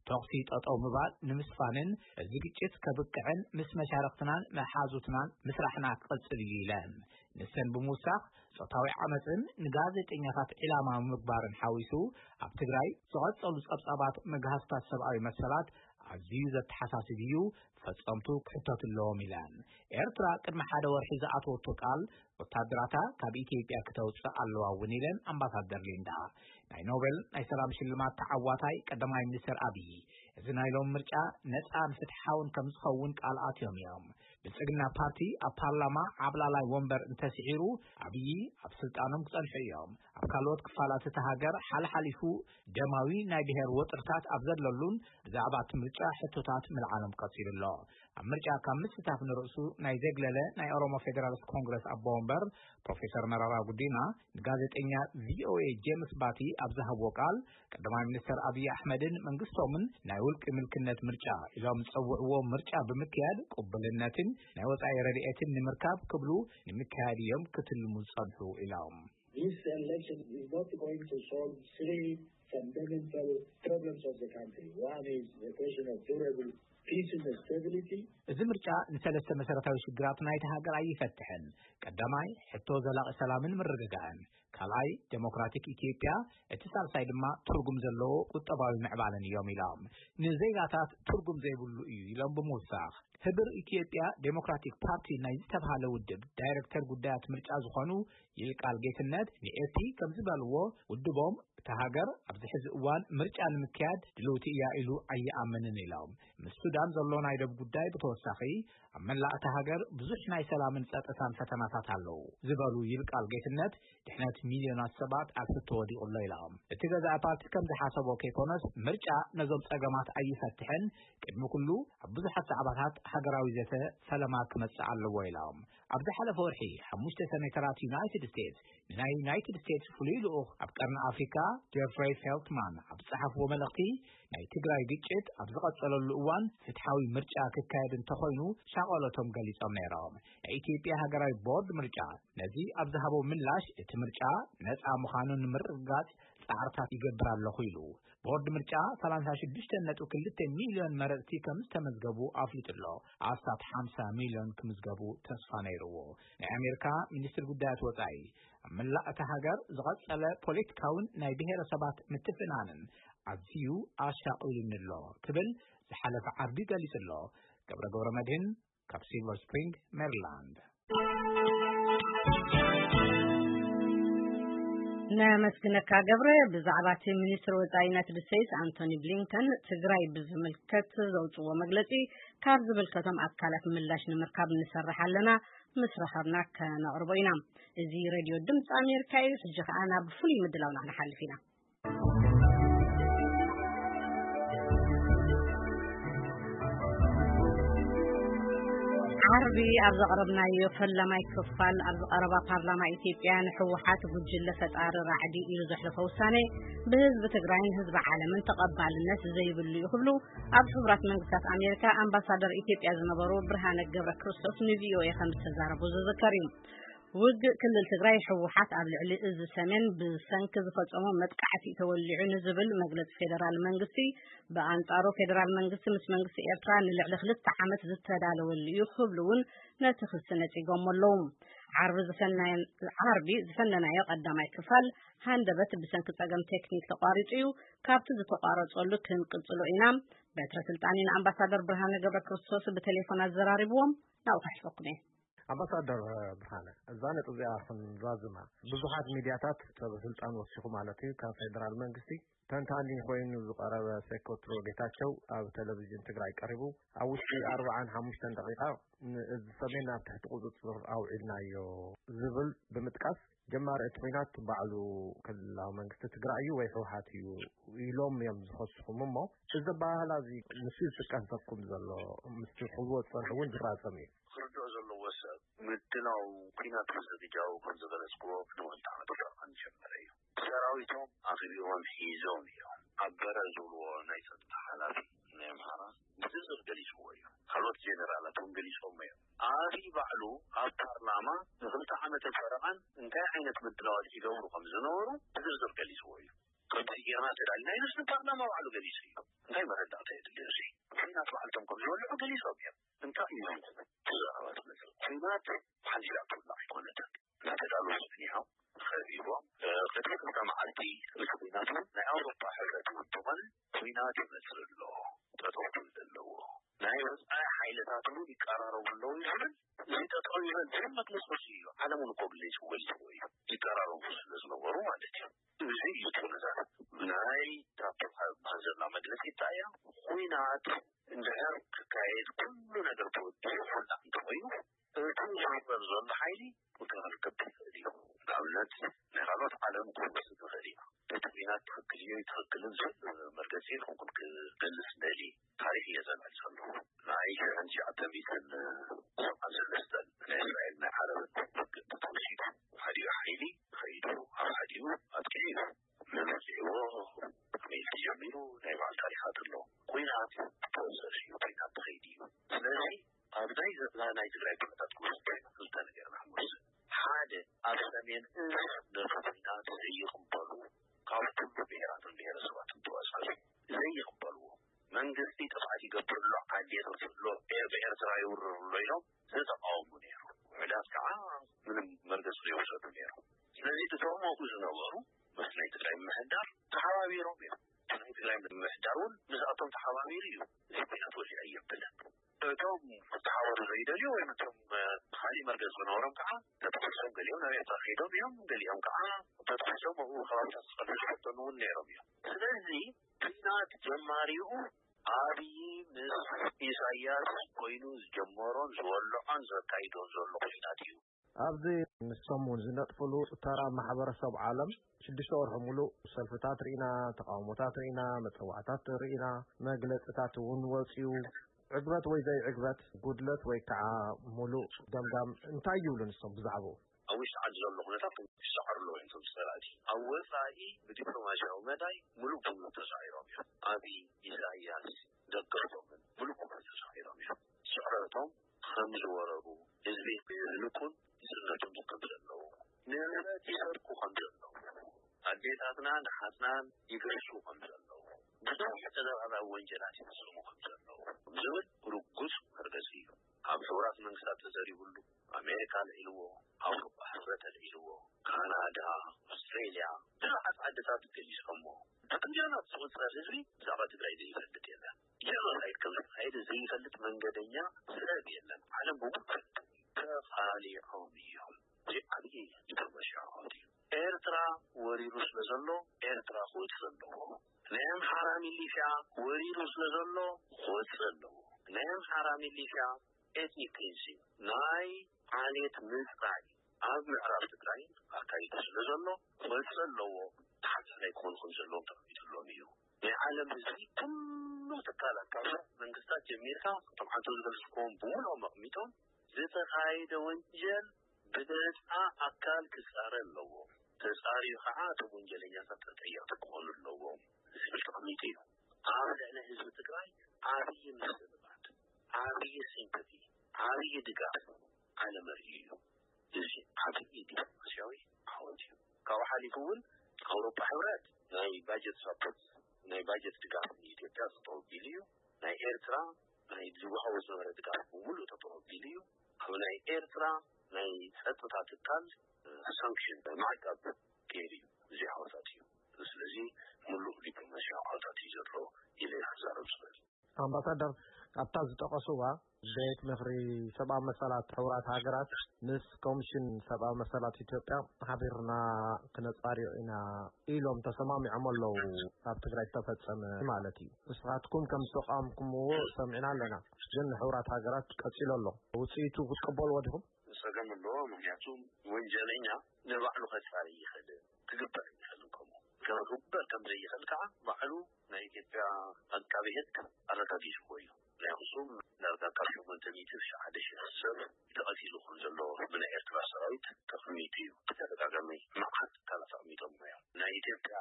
ተኹሲ ጠጠው ምባል ንምስፋንን እዚ ግጭት ከብቅዕን ምስ መሻርኽትናን መሓዙትናን ምስራሕና ክቕጽል እዩ ኢለን። ንሰን ብምውሳኽ፣ ጾታዊ ዓመጽን ንጋዜጠኛታት ዒላማ ምግባርን ሓዊሱ ኣብ ትግራይ ዝቐጸሉ ጸብጻባት ምግሃስታት ሰብኣዊ መሰላት ኣዝዩ ዘተሓሳስብ እዩ፣ ፈጸምቱ ክሕተቱ ኣለዎም ኢለን። ኤርትራ ቅድሚ ሓደ ወርሒ ዝኣተወቶ ቃል ወታደራታ ካብ ኢትዮጵያ ክተውጽእ ኣለዋ እውን ኢለን ኣምባሳደር ሊንዳ። ናይ ኖቤል ናይ ሰላም ሽልማት ተዓዋታይ ቀዳማይ ሚኒስተር ኣብይ፣ እዚ ናይ ሎም ምርጫ ነጻን ፍትሓውን ከም ዝኸውን ቃል ኣትዮም እዮም። ብልጽግና ፓርቲ ኣብ ፓርላማ ዓብላላይ ወንበር እንተስዒሩ፣ ኣብይ ኣብ ስልጣኖም ክጸንሑ እዮም። ኣብ ካልኦት ክፋላት እታ ሃገር ሓልሓሊፉ ደማዊ ናይ ብሔር ወጥርታት ኣብ ዘለሉን ብዛዕባ እቲ ምርጫ ሕቶታት ምልዓሎም ቀጺሉ ኣሎ። ኣብ ምርጫ ካብ ምስታፍ ንርእሱ ናይ ዘግለለ ናይ ኦሮሞ ፌዴራሊስት ኮንግረስ ኣቦ ወንበር ፕሮፌሰር መራራ ጉዲና ንጋዜጠኛ ቪኦኤ ጄምስ ባቲ ኣብ ዝሃብዎ ቃል፣ ቀዳማይ ሚኒስተር ኣብይ ኣሕመድን መንግስቶምን ናይ ውልቂ ምልክነት ምርጫ ኢሎም ዝጸውዕዎ ምርጫ ብምክያድ ቅቡልነትን ናይ ወጻኢ ረድኤትን ንምርካብ ክብሉ ንምክያድ እዮም ክትልሙ ዝጸንሑ ኢሎም። This election is not going to solve three fundamental problems of the country. One is the question of durable peace and stability. እዚ ምርጫ ንሰለስተ መሰረታዊ ሽግራት ናይቲ ሃገር ኣይፈትሕን። ቀዳማይ፣ ሕቶ ዘላቒ ሰላምን ምርግጋእን። ካልኣይ፣ ዴሞክራቲክ ኢትዮጵያ። እቲ ሳልሳይ ድማ ትርጉም ዘለዎ ቁጠባዊ ምዕባለን እዮም ኢሎም። ንዜጋታት ትርጉም ዘይብሉ እዩ ኢሎም ብምውሳኽ፣ ህብር ኢትዮጵያ ዴሞክራቲክ ፓርቲ ናይ ዝተብሃለ ውድብ ዳይሬክተር ጉዳያት ምርጫ ዝኾኑ ይልቃል ጌትነት ንኤቲ ከም ዝበልዎ፣ ውድቦም እታ ሃገር ኣብዚ ሕዚ እዋን ምርጫ ንምክያድ ድልውቲ እያ ኢሉ ኣይኣምንን ኢሎም። ምስ ሱዳን ዘሎ ናይ ደብ ጉዳይ ብተወሳኺ ኣብ መላእ እታ ሃገር ብዙሕ ናይ ሰላምን ጸጥታን ፈተናታት ኣለዉ ዝበሉ ይልቃል ጌትነት፣ ድሕነት ሚልዮናት ሰባት ኣብ ሕቶ ወዲቑ ኣሎ ኢሎም። እቲ ገዛኢ ፓርቲ ከም ዝሓሰቦ ከይኮነስ፣ ምርጫ ነዞም ጸገማት ኣይፈትሕን፣ ቅድሚ ኩሉ ኣብ ብዙሓት ዛዕባታት ሃገራዊ ዘተ ፈለማ ክመጽእ ኣለዎ ኢሎም። ኣብ ዝሓለፈ ወርሒ ሓሙሽተ ሰኔተራት ዩናይትድ ስቴትስ ንናይ ዩናይትድ ስቴትስ ፍሉይ ልኡኽ ኣብ ቀርኒ ኣፍሪካ ጀፍሬይ ፌልትማን ኣብ ዝጸሓፍዎ መልእኽቲ፣ ናይ ትግራይ ግጭት ኣብ ዝቐጸለሉ እዋን ፍትሓዊ ምርጫ ክካየድ እንተኾይኑ ሻቐሎቶም ገሊጾም ነይሮም። ናይ ኢትዮጵያ ሃገራዊ ቦርድ ምርጫ ነዚ ኣብ ዝሃቦ ምላሽ፣ እቲ ምርጫ ነጻ ምዃኑ ንምርግጋጽ ጻዕርታት ይገብር ኣለኹ ኢሉ። ቦርድ ምርጫ ሰላሳ ሽዱሽተ ነጥቢ ክልተ ሚልዮን መረጽቲ ከም ዝተመዝገቡ ኣፍሊጡ ኣሎ። ኣስታት ሓምሳ ሚልዮን ክምዝገቡ ተስፋ ነይርዎ። ናይ ኣሜሪካ ሚኒስትር ጉዳያት ወጻኢ፣ ኣብ መላእ እታ ሃገር ዝቐጸለ ፖለቲካውን ናይ ብሔረሰባት ምትፍናንን ኣዝዩ ኣሻቒሉኒ ኣሎ ክብል ዝሓለፈ ዓርቢ ገሊጹ ኣሎ። ገብረ ገብረ መድህን ካብ ሲልቨር ስፕሪንግ ሜሪላንድ። ነመስግነካ ገብረ። ብዛዕባ እቲ ሚኒስትሪ ወጻኢ ዩናይትድ ስቴትስ ኣንቶኒ ብሊንከን ትግራይ ብዝምልከት ዘውፅዎ መግለፂ ካብ ዝምልከቶም ኣካላት ምላሽ ንምርካብ ንሰርሕ ኣለና፣ ምስ ረኸብና ከነቕርቦ ኢና። እዚ ሬድዮ ድምፂ ኣሜሪካ እዩ። ሕጂ ከዓ ናብ ፍሉይ ምድላውና ክንሓልፍ ኢና። ዓርቢ ኣብ ዘቕረብናዮ ፈላማይ ክፋል፣ ኣብ ዝቐረባ ፓርላማ ኢትዮጵያ ንህወሓት ጉጅለ ፈጣሪ ራዕዲ ኢሉ ዘሕለፎ ውሳኔ ብህዝቢ ትግራይን ህዝቢ ዓለምን ተቐባልነት ዘይብሉ እዩ ክብሉ ኣብ ሕቡራት መንግስታት ኣሜሪካ ኣምባሳደር ኢትዮጵያ ዝነበሩ ብርሃነ ገብረ ክርስቶስ ንቪኦኤ ከም ዝተዛረቡ ዝዝከር እዩ። ውግእ ክልል ትግራይ፣ ህወሓት ኣብ ልዕሊ እዚ ሰሜን ብሰንኪ ዝፈጸሞ መጥቃዕቲ ተወሊዑ ንዝብል መግለጺ ፌደራል መንግስቲ፣ ብኣንጻሩ ፌደራል መንግስቲ ምስ መንግስቲ ኤርትራ ንልዕሊ ክልተ ዓመት ዝተዳለወሉ እዩ ክብሉ እውን ነቲ ክሲ ነጺጎሞ ኣለዉ። ዓርቢ ዝፈነየ-፣ ዓርቢ ዝፈነናዮ ቀዳማይ ክፋል ሃንደበት ብሰንኪ ጸገም ቴክኒክ ተቋሪጹ እዩ። ካብቲ ዝተቋረጸሉ ክንቅጽሎ ኢና። በትረ ስልጣኒ ንኣምባሳደር ብርሃነ ገብረ ክርስቶስ ብቴሌፎን ኣዘራሪብዎም። ናብኡ ከሕልፈኩም እየ። ኣምባሳደር ብርሃነ፣ እዛ ነጥቢ እዚኣ ክንዛዝማ፣ ብዙሓት ሚድያታት ሰብ ስልጣን ወሲኹ ማለት እዩ፣ ካብ ፌደራል መንግስቲ ተንታኒ ኮይኑ ዝቐረበ ሴኮትሮ ጌታቸው ኣብ ቴሌቪዥን ትግራይ ቀሪቡ፣ ኣብ ውሽጢ ኣርብዓን ሓሙሽተን ደቂቃ ንእዝ ሰሜን ኣብ ትሕቲ ቁፅፅር ኣውዒልናዮ ዝብል ብምጥቃስ፣ ጀማሪ እቲ ኲናት ባዕሉ ክልላዊ መንግስቲ ትግራይ እዩ ወይ ህወሓት እዩ ኢሎም እዮም ዝኸስኹም። እሞ እዚ ኣበሃህላ እዚ ንሱ እዩ ዝጥቀሰኩም ዘሎ፣ ምስቲ ክህልዎ ዝፀንሑ እውን ድራፀም እዩ። ክርድኦ ዘለዎ ሰብ፣ ምድላው ኲናት መዘግጃዊ ከም ዝገለጽክዎ ቅድሚ ክልተ ዓመት ፈረቓ ዝጀመረ እዩ። ሰራዊቶም ኣኽቢቦም ሒዞም እዮም። ኣበረ ዝብልዎ ናይ ጸጥታ ሓላፊ ናይ ኣምሓራ ብዝርዝር ገሊጽዎ እዩ። ካልኦት ጀነራላት እውን ገሊጾሞ እዮም። ኣብይ ባዕሉ ኣብ ፓርላማ ንኽልተ ዓመትን ፈረቓን እንታይ ዓይነት ምድላዋት ይገብሩ ከም ዝነበሩ ብዝርዝር ገሊጽዎ እዩ። ከምዚ ጌርና ተዳሊና ኢሉስ ንፓርላማ ባዕሉ ገሊጹ እዩ። እንታይ መረዳእታ የድልዮ እዚ? ኲናት ባዕልቶም ከም ዝወልዑ ገሊጾም እዮም። እንታይ እዩ እዚ ዘረባ ዝመጽእ? ኲናት ሓንቲኣ ትውላዕ ኣይኮነትን። እናተዳለዉ ጸኒሖም፣ ከቢቦም፣ እ፣ ቅድሚ ክልተ መዓልቲ እቲ ኲናት እውን ናይ ኣውሮፓ ሕብረት እውን ተኾነ ኲናት ይመጽእ ኣሎ፣ ጠጠው ክብል ኣለዎ። ናይ ወጻኢ ሓይልታት እውን ይቀራረቡ ኣለዉ ይብል። እዚ ጠጠው ይበል ዝብል መግለጺ ወጺኡ እዩ። ዓለም እውን እኮ ገሊጽዎ እዩ። ይቀራረቡ ስለ ዝነበሩ ማለት እዩ። እዚ እዩ እቲ ኩነታት። ናይ ታፕ ዝበሃል ዘላ መግለጺ እንታይ እያ? ኲናት እንድሕር ክካየድ ኩሉ ነገር ተወዲኡ ኩላ እንተኾይኑ፣ እቲ ዝውረር ዘሎ ሓይሊ ምክልኻል ክገብር ይኽእል እዩ። ንኣብነት፣ ናይ ካልኦት ዓለም ክውስድ ይኽእል እዩ። እቲ ኲናት ትኽክል እዩ ኣይትኽክልን ዝብል መርገጺ ንኹንኩም ክገልጽ እደሊ። ታሪኽ እየ ዘልዕል ዘለኹ። ናይ ሽሕን ትሽዓተ ሚእትን ሰብዓን ሰለስተን ናይ እስራኤል ናይ ዓረብን ውግእ እንተተወሲዱ፣ ሓዲኡ ሓይሊ ኸይዱ ኣብ ሓዲኡ ኣጥቂዑ እዩ። መን ወዲዕዎ፣ ከመይ ኢሉ ተጀሚሩ፣ ናይ ባዕሉ ታሪኻት ኣለዎ። ኲናት ፕሮሰስ እዩ፣ ኲናት ትኸይድ እዩ። ስለዚ ኣብ ናይ ዘ-፣ ናይ ትግራይ ኩነታት ክወስድ ኮይኑ ክልተ ነገር ኢና ክንወስድ። ሓደ፣ ኣብ ሰሜን እዝ ነቲ ኲናት ዘይቕበሉ ካብ ኩሉ ብሄራትን ብሄረሰባትን ተዋሳሱ ዘይቕበልዎ፣ መንግስቲ ጥፍኣት ይገብር ኣሎ፣ ዓዲ የጥፍእ ኣሎ፣ ኤር-፣ ብኤርትራ ይውርር ኣሎ ኢሎም ዝተቃወሙ ነይሩ። ውሑዳት ከዓ ምንም መርገፂ ዘይወሰዱ ነይሩ። ስለዚ እቶም ኣብኡ ዝነበሩ ምስ ናይ ትግራይ ምምሕዳር ተሓባቢሮም እዮም። እቲ ናይ ትግራይ ምምሕዳር እውን ምስኣቶም ተሓባቢሩ እዩ። እዚ ኲናት ወዲኣ እየብልን። እቶም እዮም፣ ገሊኦም ከዓ ተታሒዞም ኣብኡ ከባብታት ክቐርቡ ዝፈተኑ እውን ነይሮም እዮም። ስለዚ ኲናት ጀማሪኡ ኣብይ ምስ ኢሳያስ ኮይኑ ዝጀመሮን ዝወልዖን ዘካይዶን ዘሎ ኲናት እዩ። ኣብዚ ንሶም እውን ዝነጥፍሉ ተራ ማሕበረሰብ ዓለም ሽዱሽተ ወርሒ ሙሉእ ሰልፍታት ርኢና፣ ተቃውሞታት ርኢና፣ መጸዋዕታት ርኢና፣ መግለጽታት እውን ወጺኡ። ዕግበት ወይ ዘይዕግበት፣ ጉድለት ወይ ከዓ ሙሉእ ገምጋም እንታይ ይብሉ ንሶም ብዛዕባኡ? ኣብ ውሽጢ ዓዲ ዘሎ ኩነታት ይሰዓሩ ኣለዉ እዮም እቶም ጸላእቲ። ኣብ ወጻኢ ብዲፕሎማሲያዊ መዳይ ሙሉእ ብሙሉእ ተሳዒሮም እዮም። ኣብይ፣ ኢሳያስ፣ ደገፍቶምን ሙሉእ ብሙሉእ ተሳዒሮም እዮም። ስዕረቶም ከም ዝወረሩ፣ ህዝቢ ይህልኩን ይጽነቱን ከም ዘለዉ፣ ንብረት ይሰርቁ ከም ዘለዉ፣ ኣዴታትናን ኣሓትናን ይገዝኡ ከም ዘለዉ፣ ብዙሕ ተደራራቢ ወንጀላት ይፍጽሙ ከም ዘለዉ ዝብል ርጉጽ መርገጺ እዩ። ኣብ ሕቡራት መንግስታት ተዘሪቡሉ፣ ኣሜሪካ ኣልዒልዎ፣ ኣውሮፓ ሕብረት ኣልዒልዎ፣ ካናዳ፣ ኣውስትሬልያ፣ ብዙሓት ዓድታት ገሊጾሞ። ብትሪልዮናት ዝቑጸር ህዝቢ ብዛዕባ ትግራይ ዘይፈልጥ የለን። ጀኖሳይድ ከም ዝተኻየደ ዘይፈልጥ መንገደኛ ሰብ የለን። ዓለም ብምሉእ ይፈልጥ። ተኻሊዖም እዮም። እዚ ዓብዪ ዲፕሎማሲያዊ ዓወት እዩ። ኤርትራ ወሪሩ ስለ ዘሎ ኤርትራ ክወጽእ ኣለዎ። ናይ ኣምሓራ ሚሊሽያ ወሪሩ ስለ ዘሎ ክወጽእ ኣለዎ። ናይ ኣምሓራ ሚሊሽያ ኤትኒክ ክሊንሲንግ፣ ናይ ዓሌት ምጽራይ ኣብ ምዕራብ ትግራይ ኣካይዱ ስለ ዘሎ ክወጽእ ኣለዎ። ተሓታላይ ክኾኑ ከም ዘለዎም ተቐሚጥሎም እዩ። ናይ ዓለም ህዝቢ፣ ኩሉ ትካላት፣ ካብ መንግስታት ጀሚርካ፣ እቶም ዓንተው ዝገልጽክዎም ብምልኦም ኣቕሚጦም፣ ዝተኻየደ ወንጀል ብነጻ ኣካል ክጻረ ኣለዎ። ተጻርዩ ከዓ እቶም ወንጀለኛታት ተጠየቕቲ ክኾኑ ኣለዎም ዝብል ተቐሚጡ እዩ። ኣብ ልዕሊ ህዝቢ ትግራይ ዓብዪ ምስልባት፣ ዓብዪ ሲምፐቲ፣ ዓብዪ ድጋፍ ዓለም ኣርእዩ እዩ። እዚ ዓብዪ ዲፕሎማሲያዊ ዓወት እዩ። ካብኡ ሓሊፉ እውን ኣውሮፓ ሕብረት ናይ ባጀት ሳፖርት፣ ናይ ባጀት ድጋፍ ንኢትዮጵያ ጠጠው ኣቢሉ እዩ። ናይ ኤርትራ ናይ ዝወሃቦ ዝነበረ ድጋፍ ብምሉእ ጠጠው ኣቢሉ እዩ። ኣብ ናይ ኤርትራ ናይ ጸጥታ ትካል ሳንክሽን ማዕቀብ ገይሩ እዩ። እዚ ዓወታት እዩ። ስለዚ ምሉእ ዲፕሎማሲያዊ ዓወታት እዩ ዘሎ ኢለ ክዛረብ ዝኽእል። ኣምባሳደር፣ ኣብታ ዝጠቐስዋ ቤት ምኽሪ ሰብኣዊ መሰላት ሕቡራት ሃገራት ምስ ኮሚሽን ሰብኣዊ መሰላት ኢትዮጵያ ሓቢርና ክነጻርዮ ኢና ኢሎም ተሰማሚዖም ኣለዉ። ኣብ ትግራይ ዝተፈጸመ ማለት እዩ። ንስኻትኩም ከም ዝተቃወምኩምዎ ሰሚዕና ኣለና፣ ግን ሕቡራት ሃገራት ቀጺሉ ኣሎ። ውጽኢቱ ክትቅበልዎ ዲኹም? ጸገም ኣለዎ። ምክንያቱ ወንጀለኛ ንባዕሉ ከጻሪ ይኽእል፣ ክግበር ይኽእል። ከምኡ ክግበር ከም ዘይኽእል ከዓ ባዕሉ ናይ ኢትዮጵያ ኣቃቢ ሕግ ኣረጋጊጽዎ እዩ። ናይ ኣኽሱም ዳርጋ ካብ ሸሞንተ ሚእቲ ክሳዕ ሓደ ሺሕ ሰብ ተቐቲሉ ከም ዘሎ ብናይ ኤርትራ ሰራዊት ተቐሚጡ እዩ። ብተደጋጋሚ መዓት ትካላት ኣቕሚጦም እዮም። ናይ ኢትዮጵያ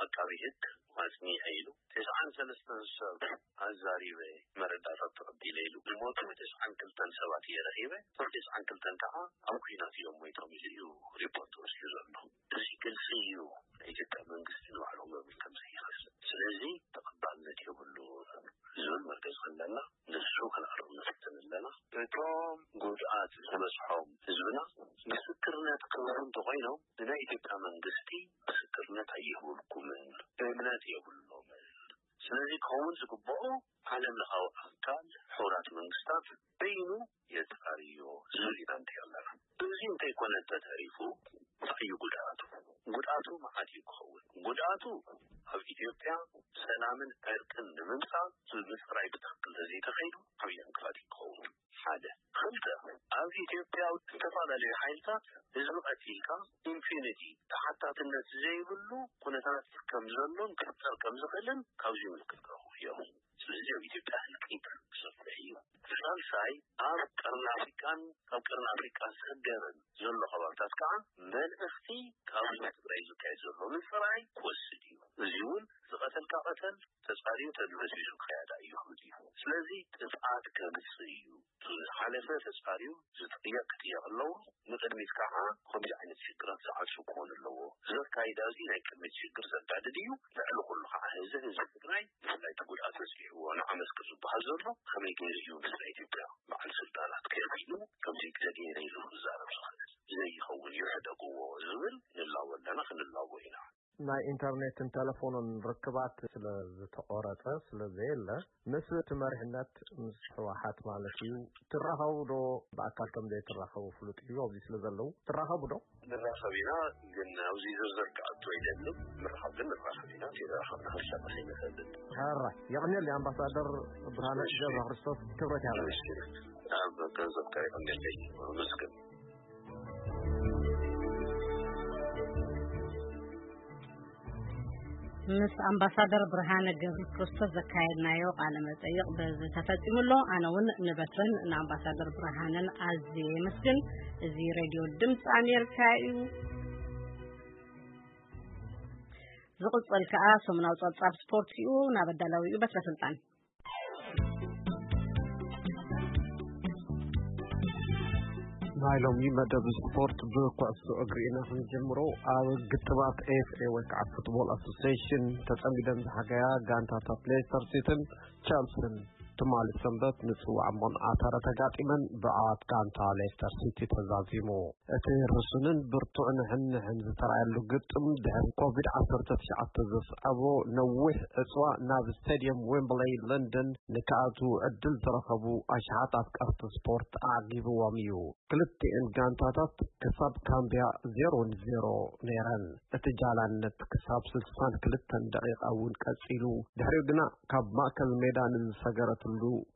ኣቃቢ ሕግ ኣጽኒዐ ኢሉ፣ ተስዓን ሰለስተን ሰብ ኣዛሪበ፣ መረዳእታ ተቐቢለ ኢሉ፣ ዝሞቱ ተስዓን ክልተን ሰባት እየ ረኺበ፣ እቶም ተስዓን ክልተን ከዓ ኣብ ኲናት እዮም ሞይቶም ኢሉ እዩ ሪፖርት ወሲዱ ዘሎ። እዚ ግልፂ እዩ፣ ናይ ኢትዮጵያ መንግስቲ ንባዕሉ ክገብር ከም ዘይኽእል። ስለዚ ተቐባልነት የብሉን ዝብል መርገፂ ኣለና። ንሱ ክንኣርም ንፍትን ኣለና። እቶም ጉድኣት ዝበፅሖም ህዝብና ምስክርነት ክህቡ እንተኾይኖም፣ ንናይ ኢትዮጵያ መንግስቲ ምስክርነት ኣይህቡልኩምን፣ እምነት የብሎምን። ስለዚ ክኸውን ዝግብኦ፣ ዓለም ለኻዊ ኣካል ሕቡራት መንግስታት በይኑ የጻርዮ ዝብል ኢና ንርኢ ኣለና። እዚ እንተይኮነ እንተተሪፉ፣ እንታይ እዩ ጉድኣቱ? ጉድኣቱ መዓት እዩ ክኸውን። ጉድኣቱ፣ ኣብ ኢትዮጵያ ሰላምን ዕርቅን ንምምጻእ ምጽራይ ብትኽክል ተዘይተኸይዱ፣ ዓብዪ ዕንቅፋት እዩ ክኸውን። ሓደ። ክልተ፣ ኣብ ኢትዮጵያ ዝተፈላለዩ ሓይልታት ህዝቢ ቀቲልካ፣ ኢምፒዩኒቲ፣ ተሓታትነት ዘይብሉ ኩነታት ከም ዘሎን ክፍጠር ከም ዝኽእልን ካብዚ ምልክት ክረኽቡ እዮም። ስለዚ ኣብ ኢትዮጵያ ህልቂት ክሰፍሕ እዩ። ሳልሳይ፣ ኣብ ቀርኒ ኣፍሪቃን ካብ ቀርኒ ኣፍሪቃ ሰገርን ዘሎ ከባብታት ከዓ መልእኽቲ ካብዚ ትግራይ ዝካየድ ዘሎ ምጽራይ ክወስድ እዩ። እዚ እውን ዝቐተልካ ቀተል፣ ተጻርዩ ተድበስቢሱ ክኸያዳ እዩ ክብል እዩ። ስለዚ ጥፍኣት ከምጽእ እዩ። ዝሓለፈ ተጻርዩ ዝጥየቕ ክጥየቕ ኣለዎ። ንቕድሚት ከዓ ከምዚ ዓይነት ሽግራት ዝዓጹ ክኾን ኣለዎ። እዚ ኣካይዳ እዚ ናይ ቅድሚት ሽግር ዘጋድድ እዩ። ልዕሊ ኩሉ ከዓ እዚ ህዝቢ ትግራይ ብፍላይ እቲ ጉድኣት በፂሕዎ ንዓመት ክር ዝበሃል ዘሎ ከመይ ገይሩ እዩ ምስ ናይ ኢትዮጵያ በዓል ስልጣናት ከቢሉ ከምዚ ገለ ገይረ ኢሉ ክዛረብ ዝኽእል? ዘይኸውን እዩ ሕደግዎ ዝብል ንላቦ ኣለና፣ ክንላቦ ኢና። ናይ ኢንተርኔትን ቴሌፎንን ርክባት ስለ ዝተቆረጸ፣ ስለ ዘየለ፣ ምስ እቲ መሪሕነት፣ ምስ ህወሓት ማለት እዩ፣ ትራኸቡ ዶ? ብኣካል ከም ዘይትራኸቡ ፍሉጥ እዩ። ኣብዚ ስለ ዘለዉ ትራኸቡ ዶ? ንራኸብ ኢና፣ ግን ኣብዚ ዝርዝር ክኣቱ ኣይደልን። ምርኻብ ግን ንራኸብ ኢና፣ ተራኸብና ክንሰርሕ ኣይንኽእልን። ሕራይ፣ የቐንየለይ ኣምባሳደር ብርሃነ ገብረ ክርስቶስ፣ ክብረት ይሃበለይ። ኣብ ገንዘብ ከሪቐ እንደለይ ኣመስግን። ምስ ኣምባሳደር ብርሃነ ገብረ ክርስቶስ ዘካየድናዮ ቃለ መጠይቕ በዚ ተፈጺሙ ኣሎ። ኣነ እውን ንበትረን ንኣምባሳደር ብርሃነን ኣዝየ የመስግን። እዚ ሬድዮ ድምፂ ኣሜሪካ እዩ። ዝቕጽል ከኣ ሰሙናዊ ጸብጻብ ስፖርት እዩ። ናብ ኣዳላዊኡ በትረ ስልጣን። ናይ ሎሚ መደብ ስፖርት ብኩዕሶ እግሪ ኢና ክንጀምሮ። ኣብ ግጥማት ኤፍ ኤ ወይ ከዓ ፉትቦል ኣሶሲሽን ተጸሚደን ዝሓገያ ጋንታታት ሌስተር ሲቲን ቸልሲን ትማሊ ሰንበት ንጽዋዕ እምቦን ኣተረ ተጋጢመን ብዓወት ጋንታ ሌስተር ሲቲ ተዛዚሙ። እቲ ርሱንን ብርቱዕ ንሕንሕን ዝተራእየሉ ግጥም ድሕሪ ኮቪድ ዓሰርተ ትሽዓተ ዘስዓቦ ነዊሕ ዕጽዋ ናብ ስቴድየም ዌምብለይ ለንደን ንክኣትዉ ዕድል ዝረኸቡ ኣሽሓት ኣፍቀርቲ ስፖርት ኣዕጊብዎም እዩ። ክልቲኤን ጋንታታት ክሳብ ካምብያ ዜሮ ንዜሮ ነይረን። እቲ ጃላነት ክሳብ ስልሳን ክልተን ደቂቓ እውን ቀጺሉ። ድሕሪኡ ግና ካብ ማእከል ሜዳ ንዝሰገረትሉ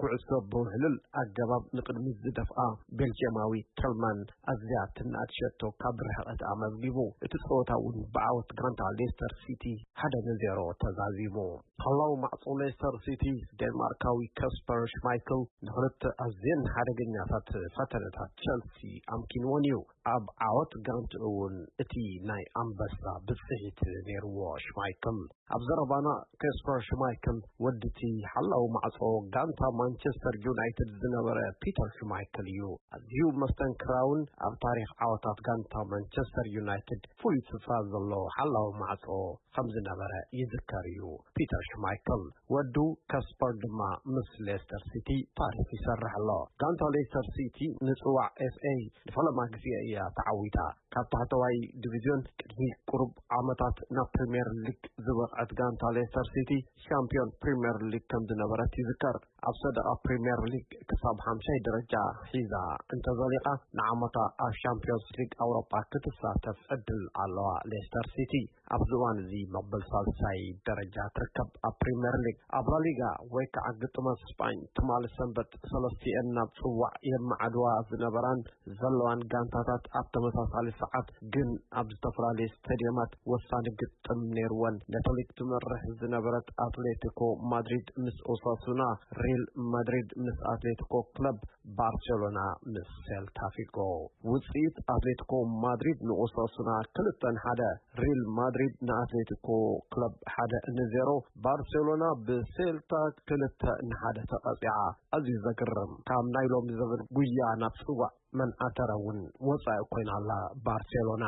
ኩዕሶ ብውሕልል ኣገባብ ንቕድሚት ዝደፍኣ ቤልጅየማዊ ተልማን ኣዝያ ትናኣድ ሸቶ ካብ ርሕቐት ኣመዝጊቡ። እቲ ጸወታ እውን ብዓወት ጋንታ ሌስተር ሲቲ ሓደ ንዜሮ ተዛዚሙ። ሓላው ማዕጾ ሌስተር ሲቲ ዴንማርካዊ ካስፐር ሽማይክል ንኽልተ ኣዝየን ሓደገኛታት ፈተነታት ቸልሲ ኣምኪንዎን እዩ። ኣብ ዓወት ጋንትኡ እውን እቲ ናይ ኣንበሳ ብጽሒት ነይርዎ ሽማይክል። ኣብ ዘረባና ካስፐር ሽማይክል ወድቲ ሓላው ማዕጾ ጋንታ ማንቸስተር ዩናይትድ ዝነበረ ፒተር ሽማይክል እዩ። ኣዝዩ መስተንክራውን ኣብ ታሪኽ ዓወታት ጋንታ ማንቸስተር ዩናይትድ ፍሉይ ስፍራ ዘለዎ ሓላው ማዕጾ ከም ዝነበረ ይዝከር እዩ። ፒተር ሽማይክል ወዱ ካስፐር ድማ ምስ ሌስተር ሲቲ ታሪኽ ይሰርሕ ኣሎ። ጋንታ ሌስተር ሲቲ ንጽዋዕ ኤፍ ኤ ንፈለማ ግዜ እያ ተዓዊታ። ካብ ታሕተዋይ ዲቪዝዮን ቅድሚ ቁሩብ ዓመታት ናብ ፕሪምየር ሊግ ዝበቕዐት ጋንታ ሌስተር ሲቲ ሻምፒዮን ፕሪምየር ሊግ ከም ዝነበረት ይዝከር። ኣብ ሰደቓ ፕሪምየር ሊግ ክሳብ ሓምሻይ ደረጃ ሒዛ እንተዘሊቓ፣ ንዓመታ ኣብ ሻምፒዮንስ ሊግ ኣውሮጳ ክትሳተፍ ዕድል ኣለዋ። ሌስተር ሲቲ ኣብዚ እዋን እዚ መበል ሳልሳይ ደረጃ ትርከብ። ኣብ ፕሪምየር ሊግ፣ ኣብ ላሊጋ ወይ ከዓ ግጥማት ስጳኝ ትማሊ ሰንበት ሰለስቲኤን ናብ ጽዋዕ የመዓድዋ ዝነበራን ዘለዋን ጋንታታት ኣብ ተመሳሳሊ ሰዓት ግን ኣብ ዝተፈላለዩ ስቴድየማት ወሳኒ ግጥም ነይርወን። ነቲ ሊግ ትመርሕ ዝነበረት ኣትሌቲኮ ማድሪድ ምስ ኦሳሱና፣ ሪል ማድሪድ ምስ ኣትሌቲኮ ክለብ ባርሴሎና ምስ ሴልታ ፊጎ። ውጽኢት ኣትሌቲኮ ማድሪድ ንኦሳሱና ክልተ ንሓደ፣ ሪል ማድሪድ ንኣትሌቲኮ ክለብ ሓደ ንዜሮ፣ ባርሴሎና ብሴልታ ክልተ ንሓደ ተቐጺዓ። ኣዝዩ ዘግርም፣ ካብ ናይ ሎሚ ዘበን ጉያ ናብ ጽዋዕ መን ኣተረ እውን ወጻኢ ኮይና ኣላ ባርሴሎና።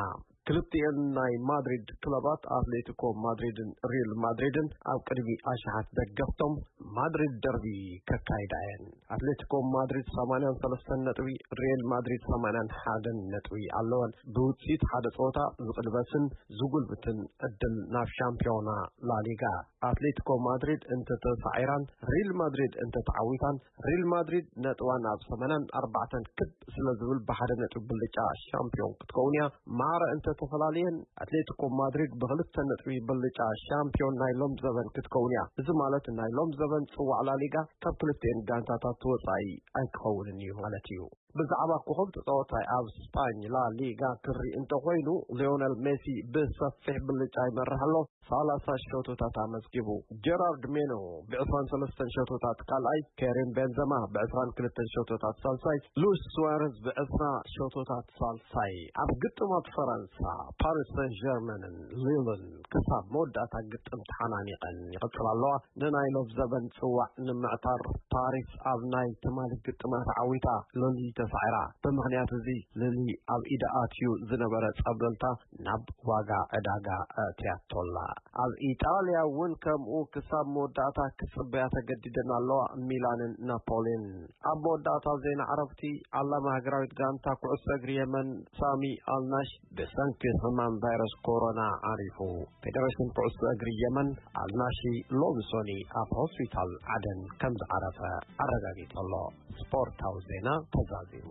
ክልቲኤን ናይ ማድሪድ ክለባት ኣትሌቲኮ ማድሪድን ሪል ማድሪድን ኣብ ቅድሚ ኣሽሓት ደገፍቶም ማድሪድ ደርቢ ከካይዳ እየን። ኣትሌቲኮ ማድሪድ ሰማንያን ሰለስተን ነጥቢ፣ ሪል ማድሪድ ሰማንያን ሓደን ነጥቢ ኣለወን። ብውጽኢት ሓደ ጸወታ ዝቕልበስን ዝጉልብትን ዕድል ናብ ሻምፒዮና ላሊጋ። ኣትሌቲኮ ማድሪድ እንተተሳዒራን ሪል ማድሪድ እንተተዓዊታን፣ ሪል ማድሪድ ነጥባ ናብ ሰማንያን ኣርባዕተን ክብ ስለ ዝብል ብሓደ ነጥቢ ብልጫ ሻምፒዮን ክትከውን እያ። ማዕረ እንተተፈላለየን ኣትሌቲኮ ማድሪድ ብክልተ ነጥቢ ብልጫ ሻምፒዮን ናይ ሎም ዘበን ክትከውን እያ። እዚ ማለት ናይ ሎም ዘበን ጽዋዕ ላሊጋ ካብ ክልቲኤን ጋንታታት ወጻኢ ኣይክኸውንን እዩ ማለት እዩ። ብዛዕባ ኮኸብ ተጻዋታይ ኣብ ስጳኝ ላ ሊጋ ክርኢ እንተኾይኑ፣ ሊዮነል ሜሲ ብሰፊሕ ብልጫ ይመርሕ ኣሎ። ሰላሳ ሸቶታት ኣመዝጊቡ። ጀራርድ ሜኖ ብዕስራን ሰለስተን ሸቶታት ካልኣይ፣ ኬሪም ቤንዘማ ብዕስራን ክልተን ሸቶታት ሳልሳይ፣ ሉዊስ ሱዋረዝ ብዕስራ ሸቶታት ሳልሳይ። ኣብ ግጥማት ፈረንሳ፣ ፓሪስ ሰን ጀርመንን ሊልን ክሳብ መወዳእታ ግጥም ተሓናኒቐን ይቕጽላ ኣለዋ። ንናይ ሎብ ዘበን ጽዋዕ ንምዕታር ፓሪስ ኣብ ናይ ትማሊ ግጥማት ዓዊታ ሎሊ ተሳዒራ። ብምኽንያት እዚ ሎሊ ኣብ ኢዳ ኣትዩ ዝነበረ ጸብለልታ ናብ ዋጋ ዕዳጋ ኣእትያቶላ። ኣብ ኢጣልያ እውን ከምኡ ክሳብ መወዳእታ ክጽበያ ተገዲደን ኣለዋ፣ ሚላንን ናፖሊን። ኣብ መወዳእታ ዜና ዕረፍቲ፣ ዓላማ ሃገራዊት ጋንታ ኩዕሶ እግሪ የመን ሳሚ ኣልናሽ ብሰንኪ ሕማም ቫይረስ ኮሮና ዓሪፉ። ፌደሬሽን ኩዕሶ እግሪ የመን ኣልናሺ ሎሚ ሶኒ ኣብ ሆስፒታል ዓደን ከም ዝዓረፈ ኣረጋጊጹ ኣሎ። ስፖርታዊ ዜና ተዛዚሙ።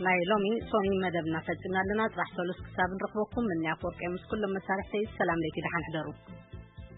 ናይ ሎሚ ሶኒ መደብና ፈጺምና ኣለና። ጽባሕ ሰሉስ ክሳብ ንረኽበኩም፣ ምንያ ኣፈወርቂ ምስ ኩሎም መሳርሕተይ ሰላም ለይቲ፣ ደሓን ሕደሩ።